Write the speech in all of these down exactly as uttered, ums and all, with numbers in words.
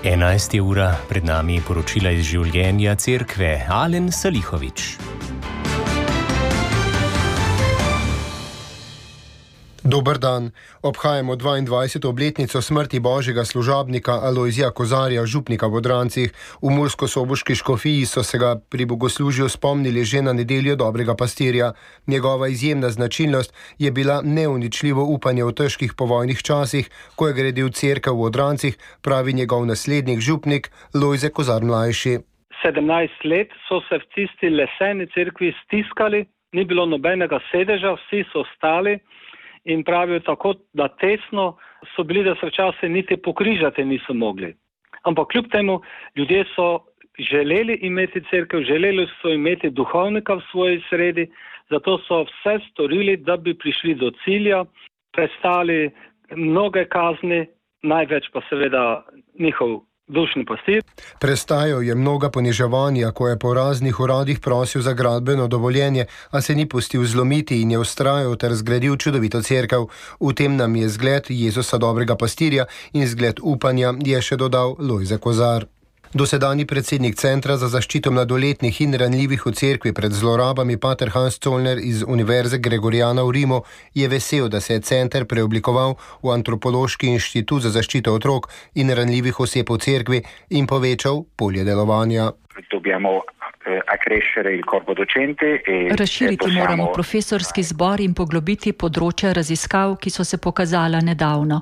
enajsta ura, pred nami je poročila iz življenja cerkve. Alen Salihovič. Dober dan. Obhajamo dvaindvajseto obletnico smrti božjega služabnika Alojzija Kozarja, župnika v Odrancih. V murskosoboški škofiji so se ga pri bogoslužju spomnili že na nedeljo dobrega pastirja. Njegova izjemna značilnost je bila neuničljivo upanje v težkih povojnih časih, ko je gradil cerkev v Odrancih, pravi njegov naslednik župnik Lojze Kozar mlajši. sedemnajst let so se v tisti leseni cerkvi stiskali, ni bilo nobenega sedeža, vsi so stali. In pravijo tako, da tesno so bili, da se včasih niti pokrižati niso mogli. Ampak kljub temu ljudje so želeli imeti cerkev, želeli so imeti duhovnika v svoji sredi, zato so vse storili, da bi prišli do cilja, prestali mnoge kazni, največ pa seveda njihov dušni pastir. Prestajal je mnoga poniževanja, ko je po raznih uradih prosil za gradbeno dovoljenje, a se ni pustil zlomiti in je vztrajal ter zgradil čudovito cerkev. V tem nam je zgled Jezusa dobrega pastirja in zgled upanja, je še dodal Lojze Kozar. Dosedanji predsednik Centra za zaščito mladoletnih in ranljivih v cerkvi pred zlorabami pater Hans Zollner iz Univerze Gregoriana v Rimu je vesel, da se je center preoblikoval v antropološki inštitut za zaščito otrok in ranljivih oseb v cerkvi in povečal polje delovanja. Razširiti moramo profesorski zbor in poglobiti področja raziskav, ki so se pokazala nedavno.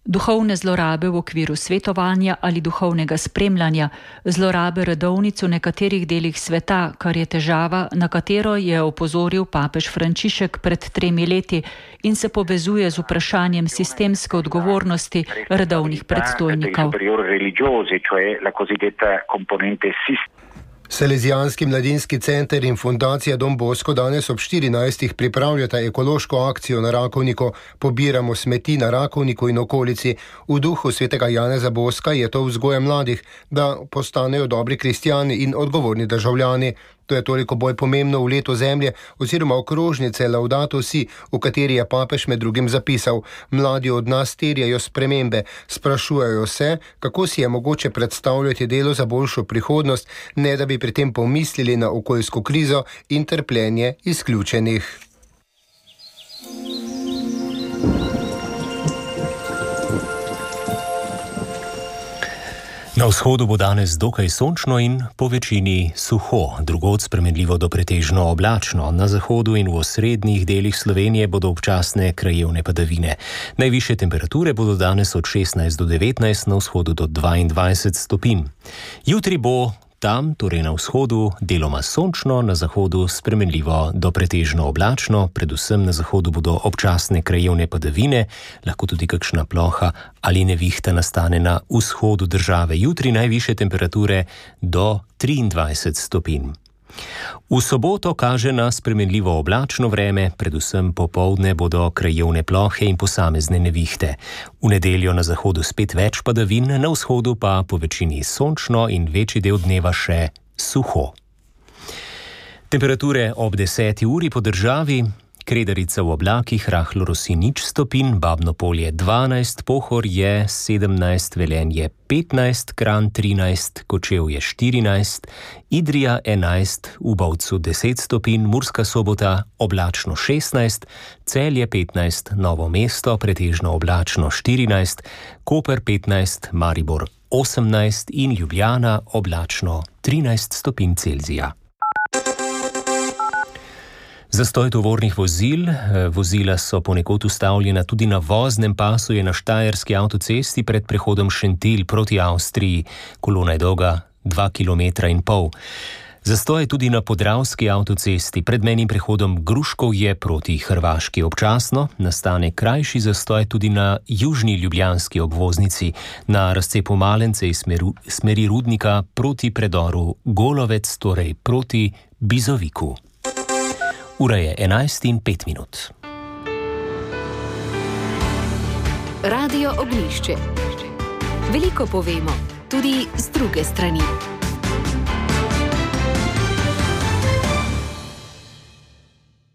Duhovne zlorabe v okviru svetovanja ali duhovnega spremljanja, zlorabe redovnic v nekaterih delih sveta, kar je težava, na katero je opozoril papež Frančišek pred tremi leti in se povezuje z vprašanjem sistemske odgovornosti redovnih predstojnikov. Salezijanski mladinski center in fundacija Don Bosco danes ob štirinajstih pripravljata ekološko akcijo na Rakovniku. Pobiramo smeti na Rakovniku in okolici. V duhu svetega Janeza Boska je to vzgoja mladih, da postanejo dobri kristjani in odgovorni državljani. To je toliko bolj pomembno v letu zemlje oziroma okrožnice Laudato Si, v kateri je papež med drugim zapisal: mladi od nas terjajo spremembe, sprašujejo se, kako si je mogoče predstavljati delo za boljšo prihodnost, ne da bi pri tem pomislili na okoljsko krizo in trpljenje izključenih. Na vzhodu bo danes dokaj sončno in po večini suho, drugod spremenljivo do pretežno oblačno. Na zahodu in v osrednjih delih Slovenije bodo občasne krajevne padavine. Najvišje temperature bodo danes od šestnajst do devetnajst, na vzhodu do dvaindvajset stopinj. Jutri bo tam, torej na vzhodu, deloma sončno, na zahodu spremenljivo do pretežno oblačno, predvsem na zahodu bodo občasne krajevne padavine, lahko tudi kakšna ploha ali nevihta nastane na vzhodu države. Jutri najvišje temperature do triindvajset stopinj. V soboto kaže na spremenljivo oblačno vreme, predvsem popoldne bodo krajevne plohe in posamezne nevihte. V nedeljo na zahodu spet več padavin, na vzhodu pa po večini sončno in večji del dneva še suho. Temperature ob deseti uri po državi: Kredarica v oblakih, rahlo rosi nič stopinj, Babno Polje dvanajst, Pohorje sedemnajst, Velenje petnajst, Kranj trinajst, Kočevje štirinajst, Idrija enajst, v Bovcu deset stopinj, Murska Sobota oblačno šestnajst, Celje petnajst, Novo mesto pretežno oblačno štirinajst, Koper petnajst, Maribor osemnajst in Ljubljana oblačno trinajst stopinj Celzija. Zastoj tovornih vozil. Vozila so ponekod ustavljena tudi na voznem pasu, je na štajerski avtocesti pred prehodom Šentilj proti Avstriji. Kolona je dolga dva kilometra in pol. Zastoj je tudi na podravski avtocesti pred mejnim prehodom Gruškovje proti Hrvaški. Občasno nastane krajši zastoj tudi na južni ljubljanski obvoznici, na razcepu Malence iz smeri Rudnika proti predoru Golovec, torej proti Bizoviku. Ura je enajst in pet minut. Radio Ognjišče. Veliko povemo, tudi z druge strani.